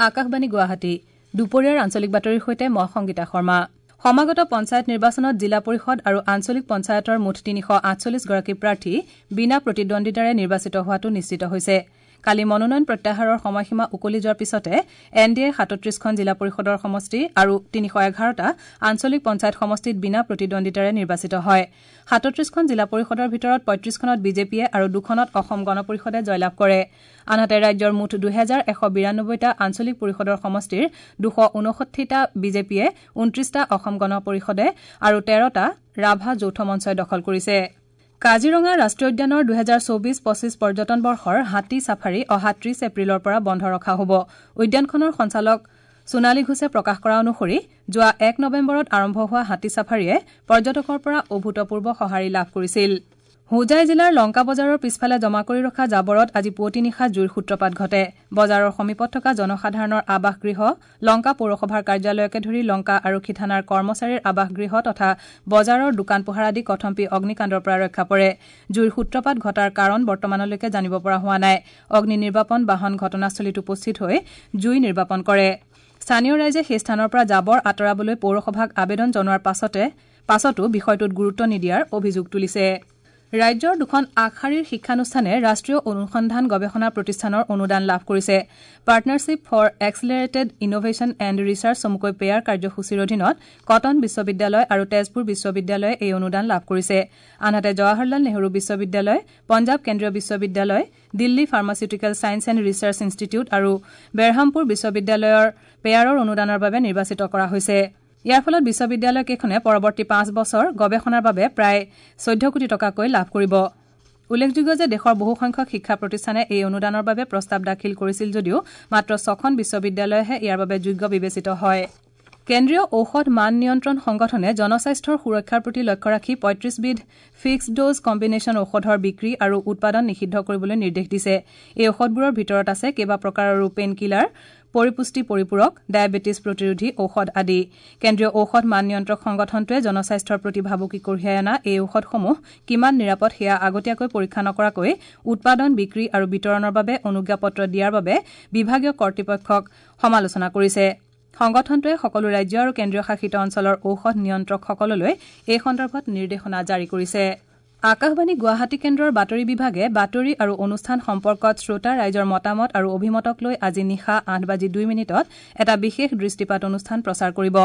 আকাশবাণী গুৱাহাটী দুপৰীয়াৰ আঞ্চলিক বাতৰিৰ সৈতে মই সংগীতা শৰ্মা। সমাগত পঞ্চায়ত নিৰ্বাচনত জিলা পৰিষদ আৰু আঞ্চলিক পঞ্চায়তৰ মুঠ ৩৪৮ গৰাকী প্ৰাৰ্থী বিনা প্ৰতিদ্বন্দ্বিতাৰে নিৰ্বাচিত হোৱাটো নিশ্চিত হৈছে। কালি মনোনয়ন প্ৰত্যাহাৰৰ সময়সীমা উকলি যোৱাৰ পিছতে এন ডি এৰ ৩৭খন জিলা পৰিষদৰ সমষ্টি আৰু ৩১১টা আঞ্চলিক পঞ্চায়ত সমষ্টিত বিনা প্ৰতিদ্বন্দ্বিতাৰে নিৰ্বাচিত হয়। ৩৭খন জিলা পৰিষদৰ ভিতৰত ৩৫খনত বিজেপিয়ে আৰু দুখনত অসম গণ পৰিষদে জয়লাভ কৰে। আনহাতে ৰাজ্যৰ মুঠ ২১৯২টা আঞ্চলিক পৰিষদৰ সমষ্টিৰ ২৫৯টা বিজেপিয়ে, ২৯টা অসম গণ পৰিষদে আৰু ১৩টা ৰাভা যৌথ মঞ্চই দখল কৰিছে। কাজিৰঙা ৰাষ্ট্ৰীয় উদ্যানৰ ২০২৪-২৫ পৰ্যটন বৰ্ষৰ হাতী ছাফাৰী অহা ৩০ এপ্ৰিলৰ পৰা বন্ধ ৰখা হ'ব। উদ্যানখনৰ সঞ্চালক সোণালী ঘোষে প্ৰকাশ কৰা অনুসৰি যোৱা ১ নৱেম্বৰত আৰম্ভ হোৱা হাতী ছাফাৰীয়ে পৰ্যটকৰ পৰা অভূতপূৰ্ব সঁহাৰি লাভ কৰিছিল। হোজাই জিলাৰ লংকা বজাৰৰ পিছফালে জমা কৰি ৰখা জাবৰত আজি পুৱতি নিশা জুইৰ সূত্ৰপাত ঘটে। বজাৰৰ সমীপত থকা জনসাধাৰণৰ আৱাসগৃহ, লংকা পৌৰসভাৰ কাৰ্যালয়কে ধৰি লংকা আৰক্ষী থানাৰ কৰ্মচাৰীৰ আৱাসগৃহ তথা বজাৰৰ দোকান পোহাৰ আদি কথমপি অগ্নিকাণ্ডৰ পৰা ৰক্ষা পৰে। জুইৰ সূত্ৰপাত ঘটাৰ কাৰণ বৰ্তমানলৈকে জানিব পৰা হোৱা নাই। অগ্নি নিৰ্বাপন বাহন ঘটনাস্থলীত উপস্থিত হৈ জুই নিৰ্বাপন কৰে। স্থানীয় ৰাইজে সেই স্থানৰ পৰা জাবৰ আঁতৰাবলৈ পৌৰসভাক আবেদন জনোৱাৰ পাছতো বিষয়টোত গুৰুত্ব নিদিয়াৰ অভিযোগ তুলিছে। ৰাজ্যৰ দুখন আগশাৰীৰ শিক্ষানুষ্ঠানে ৰাষ্ট্ৰীয় অনুসন্ধান গৱেষণা প্ৰতিষ্ঠানৰ অনুদান লাভ কৰিছে। Partnership for accelerated innovation and research চমুকৈ পেয়াৰ কাৰ্যসূচীৰ অধীনত কটন বিশ্ববিদ্যালয় আৰু তেজপুৰ বিশ্ববিদ্যালয়ে এই অনুদান লাভ কৰিছে। আনহাতে জৱাহৰলাল নেহৰু বিশ্ববিদ্যালয়, পঞ্জাৱ কেন্দ্ৰীয় বিশ্ববিদ্যালয়, Delhi pharmaceutical science and research institute আৰু বেৰহামপুৰ বিশ্ববিদ্যালয়ৰ পেয়াৰৰ অনুদানৰ বাবে নিৰ্বাচিত কৰা হৈছে। ইয়াৰ ফলত বিশ্ববিদ্যালয়কেইখনে পৰৱৰ্তী ৫ বছৰ গৱেষণাৰ বাবে প্ৰায় ১৪ কোটি টকাকৈ লাভ কৰিব। উল্লেখযোগ্য যে দেশৰ বহুসংখ্যক শিক্ষা প্ৰতিষ্ঠানে এই অনুদানৰ বাবে প্ৰস্তাৱ দাখিল কৰিছিল যদিও মাত্ৰ ৬খন বিশ্ববিদ্যালয়েহে ইয়াৰ বাবে যোগ্য বিবেচিত হয়। কেন্দ্ৰীয় ঔষধ মান নিয়ন্ত্ৰণ সংগঠনে জনস্বাস্থ্যৰ সুৰক্ষাৰ প্ৰতি লক্ষ্য ৰাখি ৩৫বিধ ফিক্সড ড'জ কম্বিনেশ্যন ঔষধৰ বিক্ৰী আৰু উৎপাদন নিষিদ্ধ কৰিবলৈ নিৰ্দেশ দিছে। এই ঔষধবোৰৰ ভিতৰত আছে কেইবা প্ৰকাৰৰো পেইন কিলাৰ, পৰিপুষ্টি পৰিপূৰক, ডায়েবেটিছ প্ৰতিৰোধী ঔষধ আদি। কেন্দ্ৰীয় ঔষধ মান নিয়ন্ত্ৰক সংগঠনটোৱে জনস্বাস্থ্যৰ প্ৰতি ভাবুকি কঢ়িয়াই অনা এই ঔষধসমূহ কিমান নিৰাপদ সেয়া আগতীয়াকৈ পৰীক্ষা নকৰাকৈ উৎপাদন, বিক্ৰী আৰু বিতৰণৰ বাবে অনুজ্ঞাপত্ৰ দিয়াৰ বাবে বিভাগীয় কৰ্তৃপক্ষক সমালোচনা কৰিছে। সংগঠনটোৱে সকলো ৰাজ্য আৰু কেন্দ্ৰীয় শাসিত অঞ্চলৰ ঔষধ নিয়ন্ত্ৰকসকললৈ এই সন্দৰ্ভত নিৰ্দেশনা জাৰি কৰিছে। আকাশবাণী গুৱাহাটী কেন্দ্ৰৰ বাতৰি বিভাগে বাতৰি আৰু অনুষ্ঠান সম্পৰ্কত শ্ৰোতা ৰাইজৰ মতামত আৰু অভিমতক লৈ আজি নিশা ৮:০২ এটা বিশেষ দৃষ্টিপাত অনুষ্ঠান প্ৰচাৰ কৰিব।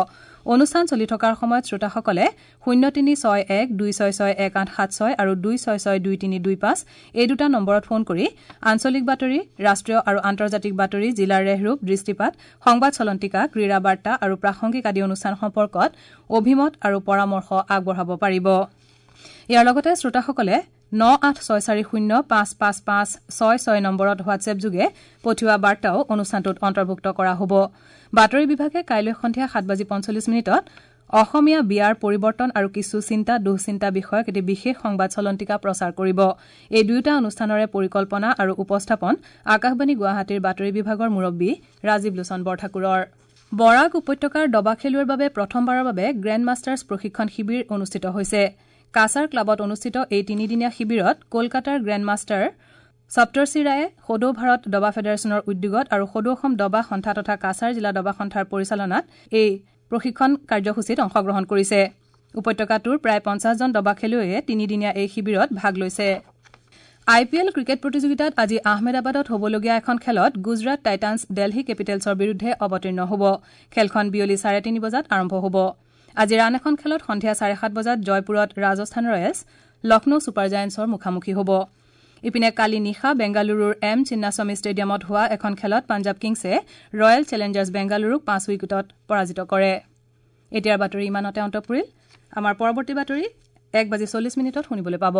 অনুষ্ঠান চলি থকাৰ সময়ত শ্ৰোতাসকলে ০৩৬১ ২৬৬ ১৮৭৬ আৰু ২৬৬ ২৩২৫ এই দুটা নম্বৰত ফোন কৰি আঞ্চলিক বাতৰি, ৰাষ্ট্ৰীয় আৰু আন্তৰ্জাতিক বাতৰি, জিলাৰ ৰেহৰূপ, দৃষ্টিপাত, সংবাদ চলন্তিকা, ক্ৰীড়া বাৰ্তা আৰু প্ৰাসংগিক আদি অনুষ্ঠান সম্পৰ্কত অভিমত আৰু পৰামৰ্শ আগবঢ়াব পাৰিব। ইয়াৰ লগতে শ্ৰোতাসকলে ৯৮৬৪০ ৫৫৫৬৬ নম্বৰত হোৱাটছএপ যোগে পঠিওৱা বাৰ্তাও অনুষ্ঠানটোত অন্তৰ্ভুক্ত কৰা হ'ব। বাতৰি বিভাগে কাইলৈ সন্ধিয়া ৭:৪৫ অসমীয়া বিয়াৰ পৰিৱৰ্তন আৰু কিছু চিন্তা দুঃচিন্তা বিষয়ক এটি বিশেষ সংবাদ চলন্তিকা প্ৰচাৰ কৰিব। এই দুয়োটা অনুষ্ঠানৰে পৰিকল্পনা আৰু উপস্থাপন আকাশবাণী গুৱাহাটীৰ বাতৰি বিভাগৰ মুৰব্বী ৰাজীৱ লোচন বৰঠাকুৰৰ। বৰাক উপত্যকাৰ দবা খেলুৱৈৰ বাবে প্ৰথমবাৰৰ বাবে গ্ৰেণ্ড মাষ্টাৰ্ছ প্ৰশিক্ষণ শিবিৰ অনুষ্ঠিত হৈছে। কাছাৰ ক্লাবত অনুষ্ঠিত এই তিনিদিনীয়া শিবিৰত কলকাতাৰ গ্ৰেণ্ড মাষ্টাৰ সপ্তৰ্ষি ৰায়ে সদৌ ভাৰত দবা ফেডাৰেশ্যনৰ উদ্যোগত আৰু সদৌ অসম দবা সন্থা তথা কাছাৰ জিলা দবা সন্থাৰ পৰিচালনাত এই প্ৰশিক্ষণ কাৰ্যসূচীত অংশগ্ৰহণ কৰিছে। উপত্যকাটোৰ প্ৰায় ৫০জন দবা খেলুৱৈয়ে তিনিদিনীয়া এই শিবিৰত ভাগ লৈছে। আই পি এল ক্ৰিকেট প্ৰতিযোগিতাত আজি আহমেদাবাদত হ'বলগীয়া এখন খেলত গুজৰাট টাইটানছ দেলহি কেপিটেলছৰ বিৰুদ্ধে অৱতীৰ্ণ হ'ব। খেলখন বিয়লি ৩:৩০ বজাত আৰম্ভ হ'ব। আজিৰ আন এখন খেলত সন্ধিয়া ৭:৩০ বজাত জয়পুৰত ৰাজস্থান ৰয়েলছ লক্ষ্ণৌ ছুপাৰ জায়েণ্টছৰ মুখামুখি হ'ব। ইপিনে কালি নিশা বেংগালুৰুৰ এম চিন্নাস্বামী ষ্টেডিয়ামত হোৱা এখন খেলত পাঞ্জাৱ কিংছে ৰয়েল চেলেঞ্জাৰ্ছ বেংগালুৰুক ৫ উইকেটত পৰাজিত কৰে। এতিয়াৰ বাতৰি ইমানতে অন্ত পৰিল। আমাৰ পৰৱৰ্তী বাতৰি ১:৪০ শুনিবলৈ পাব।